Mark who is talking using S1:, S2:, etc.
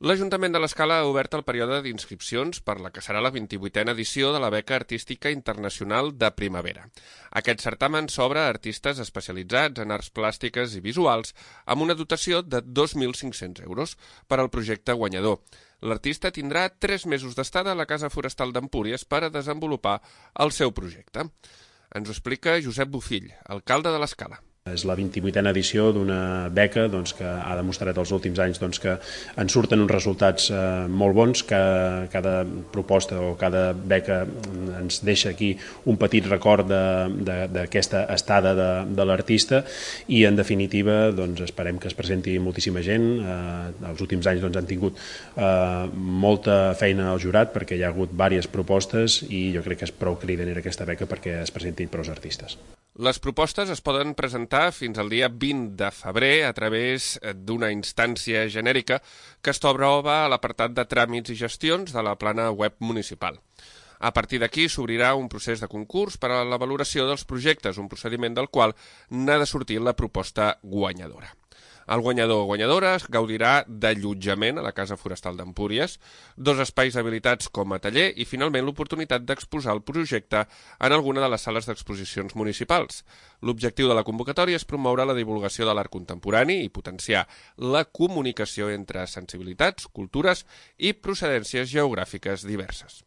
S1: L'Ajuntament de l'Escala ha obert el període d'inscripcions per la que serà la 28a edició de la Beca Artística Internacional de Primavera. Aquest certamen s'obre a artistes especialitzats en arts plàstiques i visuals amb una dotació de 2.500 euros per al projecte guanyador. L'artista tindrà 3 mesos d'estada a la Casa Forestal d'Empúries per a desenvolupar el seu projecte. Ens ho explica Josep Bofill, alcalde de l'Escala.
S2: És la 28a edició d'una beca que ha demostrat els últims anys que en surten uns resultats molt bons, que cada proposta o cada beca ens deixa aquí un petit record d'aquesta estada de l'artista i en definitiva esperem que es presenti moltíssima gent. Els últims anys han tingut molta feina al jurat perquè hi ha hagut diverses propostes i jo crec que és prou cridanera aquesta beca perquè es presentin prou artistes.
S1: Les propostes es poden presentar fins al dia 20 de febrer a través d'una instància genèrica que es troba a l'apartat de tràmits i gestions de la plana web municipal. A partir d'aquí s'obrirà un procés de concurs per a la valoració dels projectes, un procediment del qual n'ha de sortir la proposta guanyadora. El guanyador o guanyadora es gaudirà d'allotjament a la Casa Forestal d'Empúries, 2 espais habilitats com a taller i, finalment, l'oportunitat d'exposar el projecte en alguna de les sales d'exposicions municipals. L'objectiu de la convocatòria és promoure la divulgació de l'art contemporani i potenciar la comunicació entre sensibilitats, cultures i procedències geogràfiques diverses.